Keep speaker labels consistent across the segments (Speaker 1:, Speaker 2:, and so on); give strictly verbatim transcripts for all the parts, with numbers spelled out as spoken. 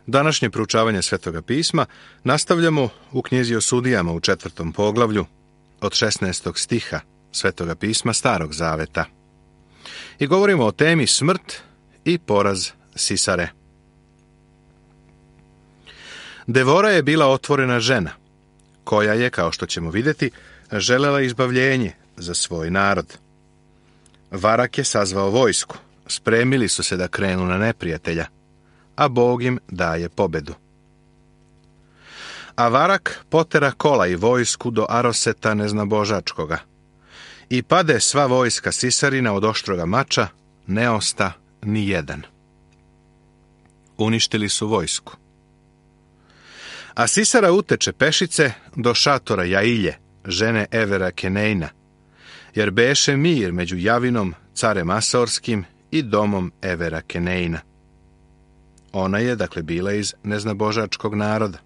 Speaker 1: Današnje proučavanje Svetoga pisma nastavljamo u knjizi o sudijama u četvrtom poglavlju od šesnaestog stiha Svetoga pisma Starog zaveta. I govorimo o temi smrt i poraz Sisare. Devora je bila otvorena žena, koja je, kao što ćemo vidjeti, želela izbavljenje za svoj narod. Varak je sazvao vojsku, spremili su se da krenu na neprijatelja, a Bog im daje pobedu. A Varak potera kola i vojsku do Aroseta neznabožačkoga. I pade sva vojska Sisarina od oštroga mača, ne osta ni jedan. Uništili su vojsku. A Sisara uteče pešice do šatora Jailje, žene Evera Kenejna, jer beše mir među Javinom, carem Asorskim, i domom Evera Kenejna. Ona je, dakle, bila iz neznabožačkog naroda.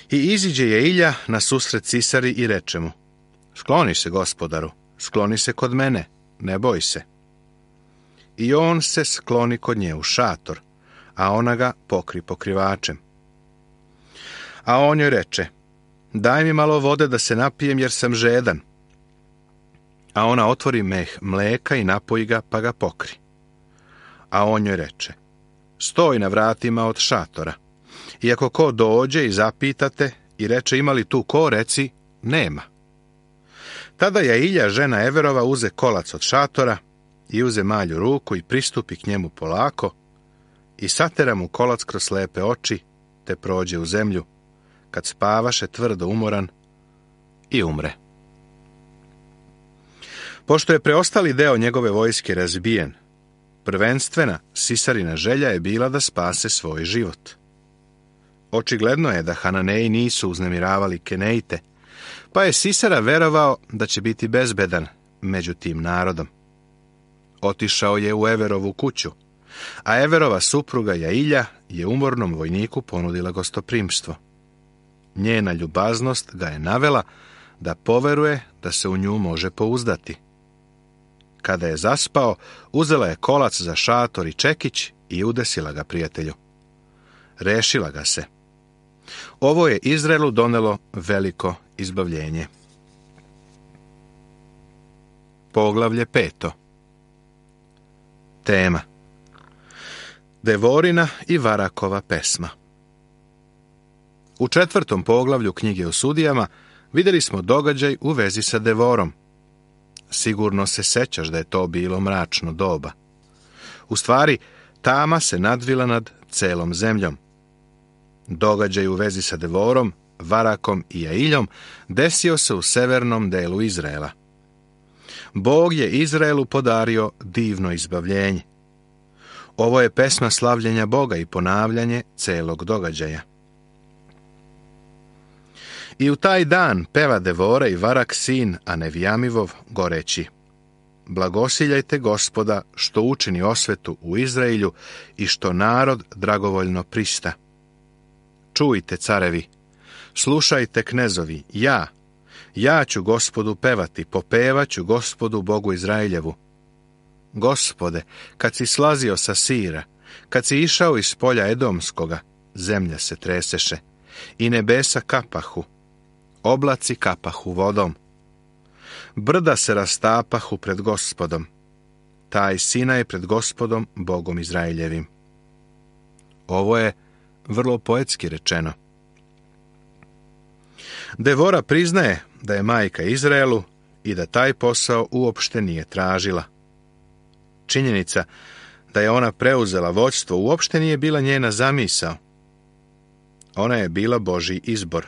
Speaker 1: I iziđe Jailja na susret Sisari i reče mu: Skloni se, gospodaru, skloni se kod mene, ne boj se. I on se skloni kod nje u šator, a ona ga pokri pokrivačem. A on joj reče: Daj mi malo vode da se napijem, jer sam žedan. A ona otvori meh mleka i napoji ga, pa ga pokri. A on joj reče: Stoj na vratima od šatora. I ako ko dođe i zapitate i reče: Ima li tu ko, reci: Nema. Tada Jailja, žena Everova, uze kolac od šatora i uze malju ruku i pristupi k njemu polako i satera mu kolac kroz slepe oči, te prođe u zemlju, kad spavaše tvrdo umoran, i umre. Pošto je preostali deo njegove vojske razbijen, prvenstvena Sisarina želja je bila da spase svoj život. Očigledno je da Hananeji nisu uznemiravali Kenejte, pa je Sisara verovao da će biti bezbedan među tim narodom. Otišao je u Everovu kuću, a Everova supruga Jailja je umornom vojniku ponudila gostoprimstvo. Njena ljubaznost ga je navela da poveruje da se u nju može pouzdati. Kada je zaspao, uzela je kolac za šator i čekić i udesila ga prijatelju. Rešila ga se. Ovo je Izraelu donelo veliko izbavljenje. Poglavlje peto. Tema: Devorina i Varakova pesma. U četvrtom poglavlju knjige o sudijama vidjeli smo događaj u vezi sa Devorom. Sigurno se sećaš da je to bilo mračno doba. U stvari, tama se nadvila nad celom zemljom. Događaj u vezi sa Devorom, Varakom i Jailjom desio se u severnom delu Izraela. Bog je Izraelu podario divno izbavljenje. Ovo je pesma slavljenja Boga i ponavljanje celog događaja. I u taj dan peva Devora i Varak sin Anevijamivov goreći: Blagosiljajte Gospoda što učini osvetu u Izraelju i što narod dragovoljno prista. Čujte, carevi, slušajte, knezovi, ja, ja ću Gospodu pevati, popevaću Gospodu Bogu Izraeljevu. Gospode, kad si slazio sa Sira, kad si išao iz polja Edomskoga, zemlja se treseše i nebesa kapahu, oblaci kapahu vodom. Brda se rastapahu pred Gospodom, taj Sinaj pred Gospodom Bogom Izraeljevim. Ovo je vrlo poetski rečeno. Devora priznaje da je majka Izraelu i da taj posao uopšte nije tražila. Činjenica da je ona preuzela vođstvo uopšte nije bila njena zamisao. Ona je bila Božji izbor.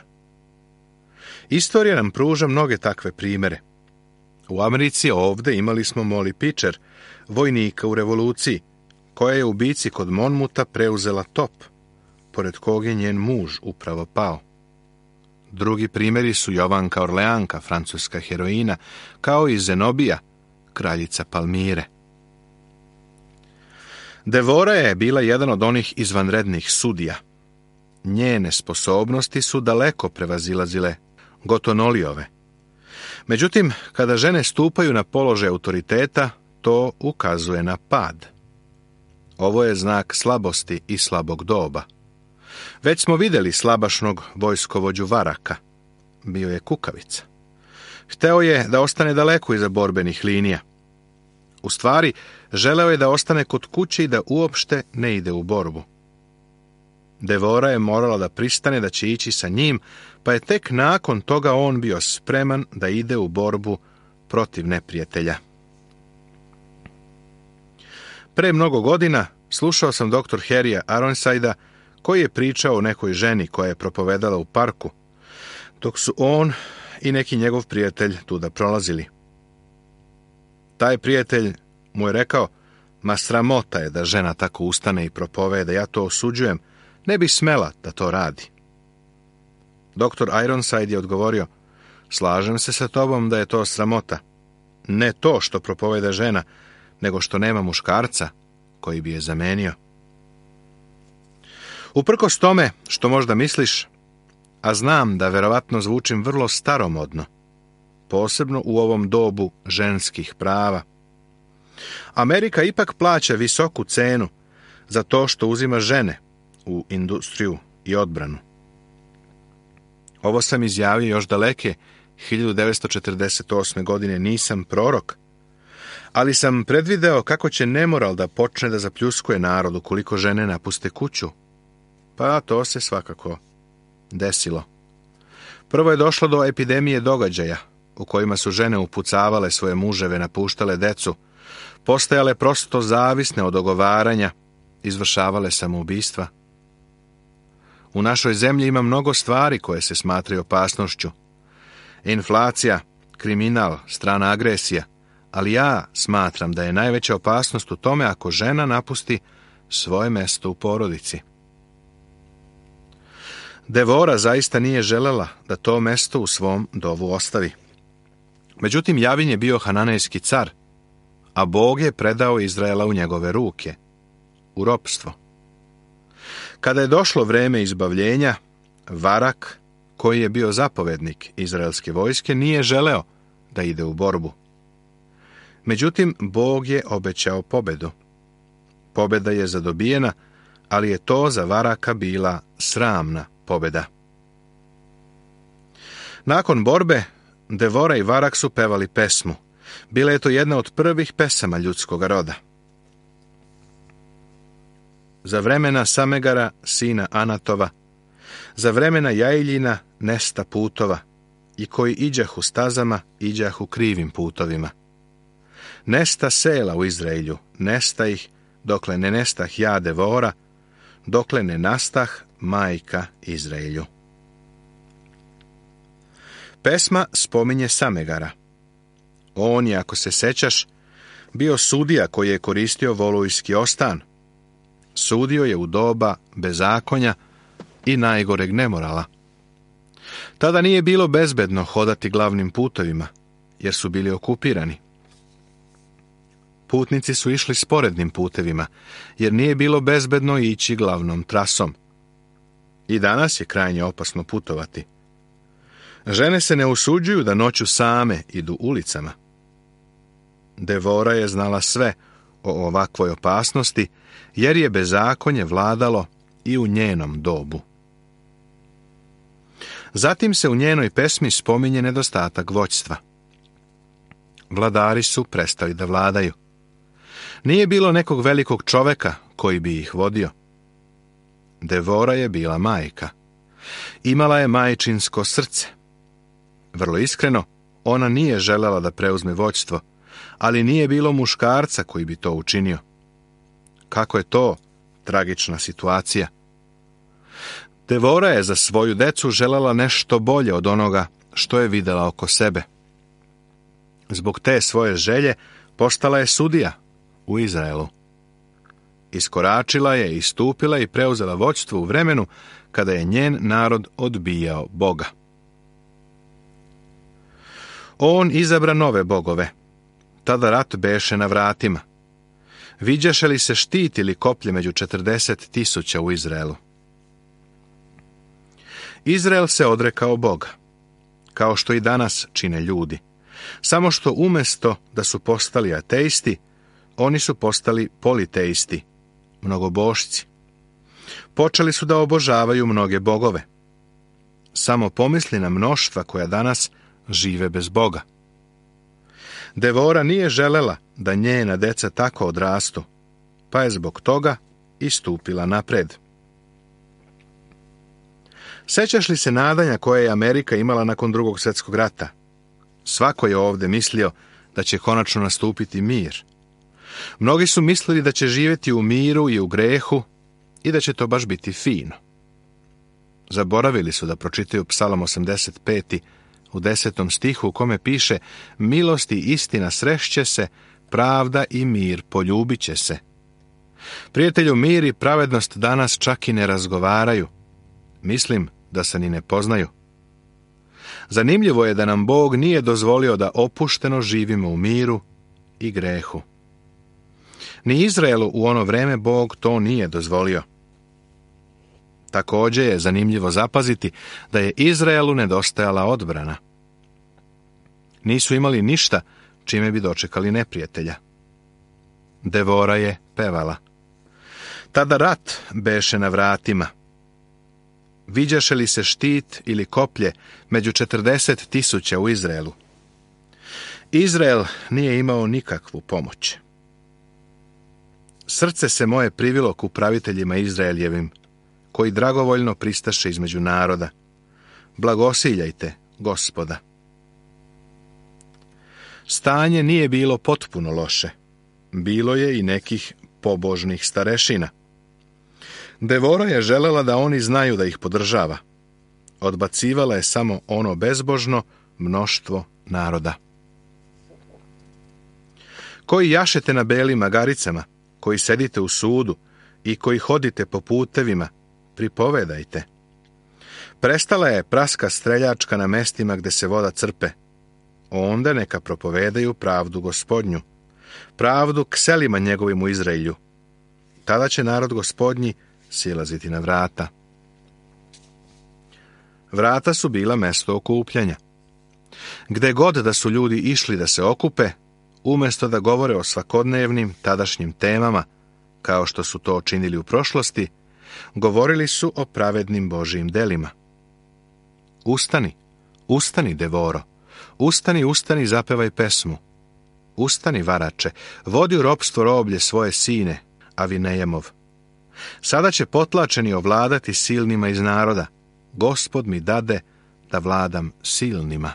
Speaker 1: Istorija nam pruža mnoge takve primere. U Americi ovdje imali smo Molly Pitcher, vojnika u revoluciji, koja je u bici kod Monmuta preuzela top, pored kog je njen muž upravo pao. Drugi primjeri su Jovanka Orleanka, francuska heroina, kao i Zenobija, kraljica Palmire. Devora je bila jedan od onih izvanrednih sudija. Njene sposobnosti su daleko prevazilazile Gotonolijove. Međutim, kada žene stupaju na položaj autoriteta, to ukazuje na pad. Ovo je znak slabosti i slabog doba. Već smo vidjeli slabašnog vojskovođu Varaka. Bio je kukavica. Hteo je da ostane daleko iza borbenih linija. U stvari, želeo je da ostane kod kuće i da uopšte ne ide u borbu. Devora je morala da pristane da će ići sa njim, pa je tek nakon toga on bio spreman da ide u borbu protiv neprijatelja. Pre mnogo godina slušao sam doktor Harrya Aronsaida, koji je pričao o nekoj ženi koja je propovedala u parku, dok su on i neki njegov prijatelj tuda prolazili. Taj prijatelj mu je rekao: ma sramota je da žena tako ustane i propoveda, ja to osuđujem, ne bi smela da to radi. Doktor Ironside je odgovorio: slažem se sa tobom da je to sramota. Ne to što propoveda žena, nego što nema muškarca koji bi je zamenio. Uprkos tome što možda misliš, a znam da verovatno zvučim vrlo staromodno, posebno u ovom dobu ženskih prava, Amerika ipak plaća visoku cenu za to što uzima žene u industriju i odbranu. Ovo sam izjavio još daleke hiljadu devetsto četrdeset osme. godine, nisam prorok, ali sam predvideo kako će nemoral da počne da zapljuskuje narod ukoliko žene napuste kuću. Pa to se svakako desilo. Prvo je došlo do epidemije događaja u kojima su žene upucavale svoje muževe, napuštale decu, postajale prosto zavisne od ogovaranja, izvršavale samoubistva. U našoj zemlji ima mnogo stvari koje se smatraju opasnošću. Inflacija, kriminal, strana agresija, ali ja smatram da je najveća opasnost u tome ako žena napusti svoje mesto u porodici. Devora zaista nije želela da to mesto u svom dovu ostavi. Međutim, Javin je bio hananejski car, a Bog je predao Izraela u njegove ruke, u ropstvo. Kada je došlo vreme izbavljenja, Varak, koji je bio zapovednik izraelske vojske, nije želeo da ide u borbu. Međutim, Bog je obećao pobedu. Pobeda je zadobijena, ali je to za Varaka bila sramna pobeda. Nakon borbe, Devora i Varak su pevali pesmu. Bila je to jedna od prvih pesama ljudskog roda. Za vremena Samegara, sina Anatova, za vremena Jailjina, nesta putova, i koji iđahu stazama, iđahu krivim putovima. Nesta sela u Izraelju, nesta ih, dokle ne nestah ja Devora, dokle ne nastah majka Izraelju. Pesma spominje Samegara. On je, ako se sećaš, bio sudija koji je koristio volujski ostan. Sudio je u doba bezakonja i najgoreg nemorala. Tada nije bilo bezbedno hodati glavnim putovima, jer su bili okupirani. Putnici su išli sporednim putevima, jer nije bilo bezbedno ići glavnom trasom. I danas je krajnje opasno putovati. Žene se ne usuđuju da noću same idu ulicama. Devora je znala sve o ovakvoj opasnosti, jer je bezakonje vladalo i u njenom dobu. Zatim se u njenoj pesmi spominje nedostatak vođstva. Vladari su prestali da vladaju. Nije bilo nekog velikog čoveka koji bi ih vodio. Devora je bila majka. Imala je majčinsko srce. Vrlo iskreno, ona nije želela da preuzme vođstvo, ali nije bilo muškarca koji bi to učinio. Kako je to tragična situacija? Devora je za svoju decu želela nešto bolje od onoga što je videla oko sebe. Zbog te svoje želje postala je sudija u Izraelu. Iskoračila je, istupila i preuzela vođstvo u vremenu kada je njen narod odbijao Boga. On izabra nove bogove. Tada rat beše na vratima. Viđaše li se štit ili koplje među četrdeset tisuća u Izraelu? Izrael se odrekao Boga, kao što i danas čine ljudi. Samo što umjesto da su postali ateisti, oni su postali politeisti, mnogobošci. Počeli su da obožavaju mnoge bogove. Samo pomisli na mnoštva koja danas žive bez Boga. Devora nije želela da njena deca tako odrastu, pa je zbog toga istupila napred. Sećaš li se nadanja koje je Amerika imala nakon Drugog svjetskog rata? Svako je ovdje mislio da će konačno nastupiti mir. Mnogi su mislili da će živjeti u miru i u grehu i da će to baš biti fino. Zaboravili su da pročitaju Psalam osamdeset peti u desetom stihu u kome piše: milost i istina srešće se, pravda i mir poljubit će se. Prijatelju, mir i pravednost danas čak i ne razgovaraju. Mislim da se ni ne poznaju. Zanimljivo je da nam Bog nije dozvolio da opušteno živimo u miru i grehu. Ni Izraelu u ono vreme Bog to nije dozvolio. Također je zanimljivo zapaziti da je Izraelu nedostajala odbrana. Nisu imali ništa čime bi dočekali neprijatelja. Devora je pevala. Tada rat beše na vratima. Viđaše li se štit ili koplje među četrdeset tisuća u Izraelu? Izrael nije imao nikakvu pomoć. Srce se moje privilo k upraviteljima Izraeljevim, koji dragovoljno pristaše između naroda. Blagosiljajte Gospoda. Stanje nije bilo potpuno loše. Bilo je i nekih pobožnih starešina. Devora je želela da oni znaju da ih podržava. Odbacivala je samo ono bezbožno mnoštvo naroda. Koji jašete na belim magaricama, koji sedite u sudu i koji hodite po putevima, pripovedajte. Prestala je praska streljačka na mestima gde se voda crpe. Onda neka propovedaju pravdu Gospodnju, pravdu k selima njegovim u Izraelju. Tada će narod Gospodnji silaziti na vrata. Vrata su bila mesto okupljanja. Gde god da su ljudi išli da se okupe, umjesto da govore o svakodnevnim tadašnjim temama, kao što su to činili u prošlosti, govorili su o pravednim Božijim delima. Ustani, ustani, Devoro, ustani, ustani, zapevaj pesmu. Ustani, varače, vodi u ropstvo roblje svoje sine, Avinejemov. Sada će potlačeni ovladati silnima iz naroda. Gospod mi dade da vladam silnima.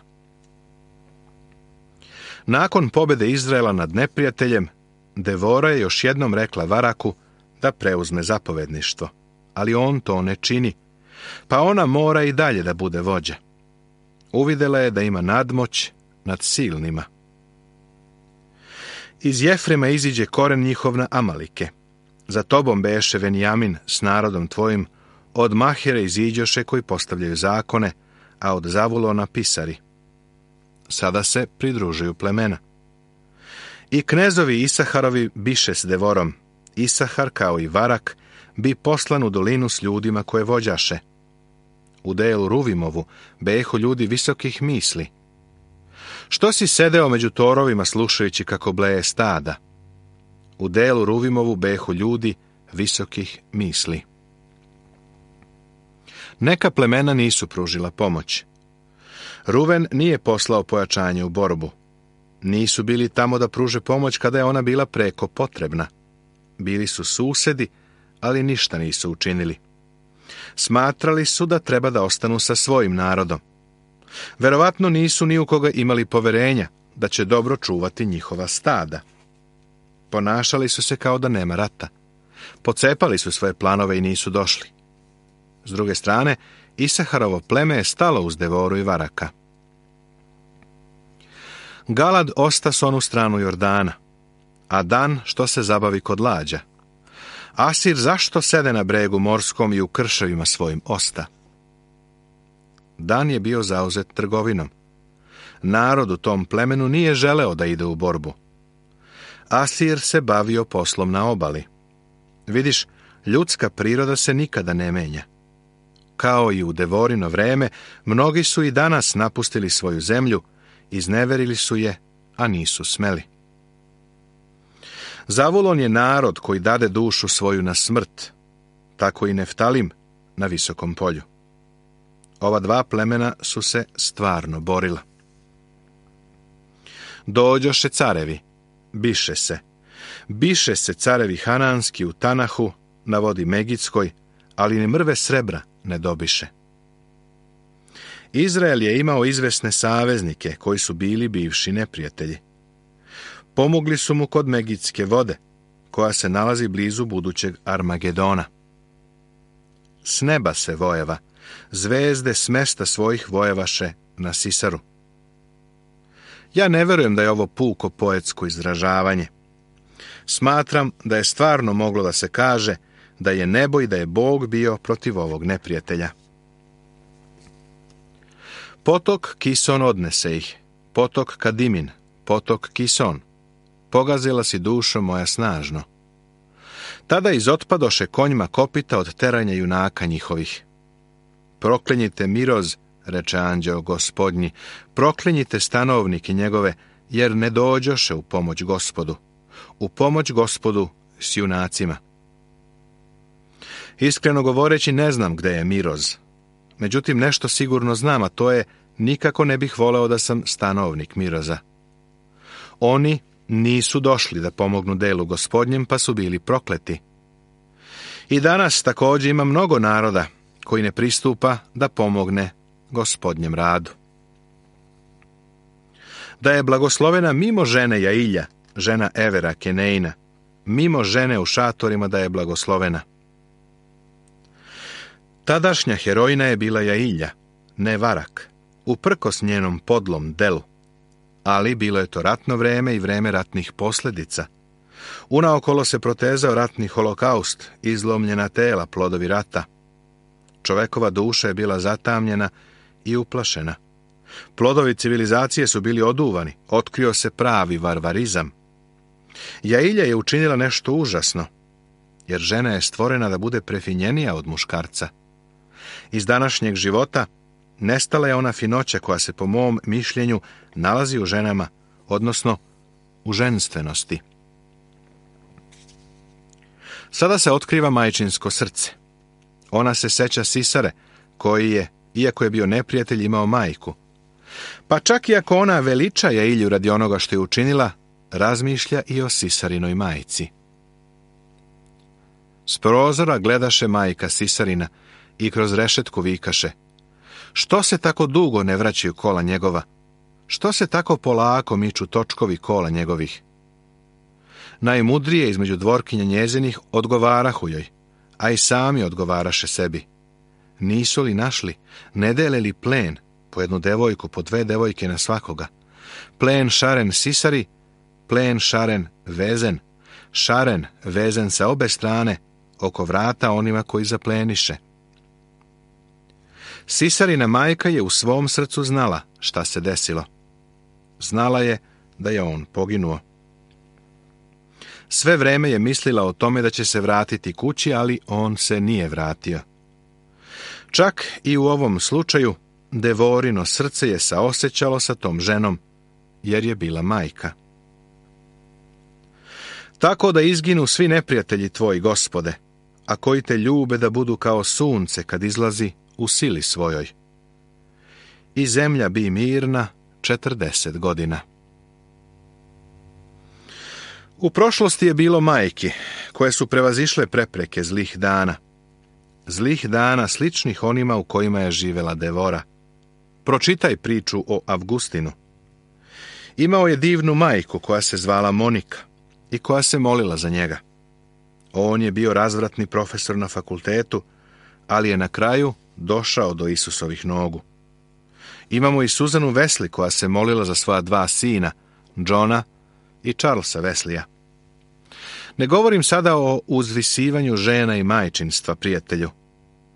Speaker 1: Nakon pobjede Izraela nad neprijateljem, Devora je još jednom rekla Varaku da preuzme zapovedništvo, ali on to ne čini, pa ona mora i dalje da bude vođa. Uvidela je da ima nadmoć nad silnima. Iz Jefrema iziđe koren njihov na Amalike. Za tobom beše Venjamin s narodom tvojim, od Mahire iziđoše koji postavljaju zakone, a od Zavulona pisari. Sada se pridružuju plemena. I knezovi Isaharovi biše s Devorom. Isahar, kao i Varak, bi poslan u dolinu s ljudima koje vođaše. U delu Ruvimovu behu ljudi visokih misli. Što si sedeo među torovima slušajući kako bleje stada? U delu Ruvimovu behu ljudi visokih misli. Neka plemena nisu pružila pomoć. Ruven nije poslao pojačanje u borbu. Nisu bili tamo da pruže pomoć kada je ona bila preko potrebna. Bili su susedi, ali ništa nisu učinili. Smatrali su da treba da ostanu sa svojim narodom. Verovatno nisu ni u koga imali poverenja da će dobro čuvati njihova stada. Ponašali su se kao da nema rata. Pocepali su svoje planove i nisu došli. S druge strane, Isaharovo pleme je stalo uz Devoru i Varaka. Galad osta s onu stranu Jordana, a Dan što se zabavi kod lađa. Asir zašto sede na bregu morskom i u krševima svojim osta? Dan je bio zauzet trgovinom. Narod u tom plemenu nije želeo da ide u borbu. Asir se bavio poslom na obali. Vidiš, ljudska priroda se nikada ne menja. Kao i u Devorino vreme, mnogi su i danas napustili svoju zemlju, izneverili su je, a nisu smeli. Zavulon je narod koji dade dušu svoju na smrt, tako i Neftalim na visokom polju. Ova dva plemena su se stvarno borila. Dođoše carevi, biše se. Biše se carevi hananski u Tanahu, na vodi Megidskoj, ali ni mrve srebra ne dobiše. Izrael je imao izvesne saveznike koji su bili bivši neprijatelji. Pomogli su mu kod Megidske vode, koja se nalazi blizu budućeg Armagedona. S neba se vojeva, zvezde s mesta svojih vojevaše na Sisaru. Ja ne verujem da je ovo puko poetsko izražavanje. Smatram da je stvarno moglo da se kaže da je nebo i da je Bog bio protiv ovog neprijatelja. Potok Kison odnese ih, potok Kadimin, potok Kison. Pogazila si dušo moja snažno. Tada izotpadoše konjima kopita od teranja junaka njihovih. Proklenjite Miroz, reče anđeo gospodnji, proklenjite stanovnike njegove, jer ne dođoše u pomoć Gospodu. U pomoć Gospodu s junacima. Iskreno govoreći ne znam gde je Miroz. Međutim, nešto sigurno znam, a to je nikako ne bih voleo da sam stanovnik Miroza. Oni nisu došli da pomognu delu Gospodnjem, pa su bili prokleti. I danas također ima mnogo naroda koji ne pristupa da pomogne Gospodnjem radu. Da je blagoslovena mimo žene Jailja, žena Evera Kenejna, mimo žene u šatorima da je blagoslovena. Tadašnja herojina je bila Jailja, ne Varak, uprkos njenom podlom delu, ali bilo je to ratno vreme i vreme ratnih posljedica. Unaokolo se protezao ratni holokaust, izlomljena tela, plodovi rata. Čovekova duša je bila zatamnjena i uplašena. Plodovi civilizacije su bili oduvani, otkrio se pravi varvarizam. Jailja je učinila nešto užasno, jer žena je stvorena da bude prefinjenija od muškarca. Iz današnjeg života nestala je ona finoća koja se po mom mišljenju nalazi u ženama, odnosno u ženstvenosti. Sada se otkriva majčinsko srce. Ona se seća Sisare, koji je, iako je bio neprijatelj, imao majku. Pa čak i ako ona veliča Jailju radi onoga što je učinila, razmišlja i o Sisarinoj majci. S prozora gledaše majka Sisarina i kroz rešetku vikaše: što se tako dugo ne vraćaju kola njegova? Što se tako polako miču točkovi kola njegovih? Najmudrije između dvorkinja njezinih odgovarahu joj, a i sami odgovaraše sebi. Nisu li našli, ne dele li plen, po jednu devojku, po dve devojke na svakoga? Plen šaren Sisari, plen šaren vezen, šaren vezen sa obe strane, oko vrata onima koji zapleniše. Sisarina majka je u svom srcu znala šta se desilo. Znala je da je on poginuo. Sve vreme je mislila o tome da će se vratiti kući, ali on se nije vratio. Čak i u ovom slučaju Devorino srce je saosećalo sa tom ženom, jer je bila majka. Tako da izginu svi neprijatelji tvoji, Gospode, a koji te ljube da budu kao sunce kad izlazi u sili svojoj. I zemlja bi mirna četrdeset godina. U prošlosti je bilo majki koje su prevazišle prepreke zlih dana. Zlih dana sličnih onima u kojima je živela Devora. Pročitaj priču o Avgustinu. Imao je divnu majku koja se zvala Monika i koja se molila za njega. On je bio razvratni profesor na fakultetu, ali je na kraju došao do Isusovih nogu. Imamo i Suzanu Wesley koja se molila za svoja dva sina, Johna i Charlesa Wesleya. Ne govorim sada o uzvisivanju žena i majčinstva, prijatelju,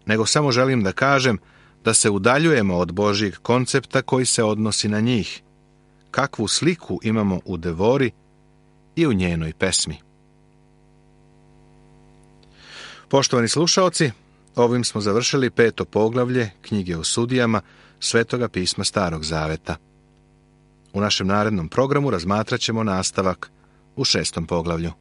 Speaker 1: nego samo želim da kažem da se udaljujemo od Božjeg koncepta koji se odnosi na njih. Kakvu sliku imamo u Devori i u njenoj pesmi. Poštovani slušaoci, ovim smo završili peto poglavlje knjige o sudijama Svetoga pisma Starog Zaveta. U našem narednom programu razmatrat ćemo nastavak u šestom poglavlju.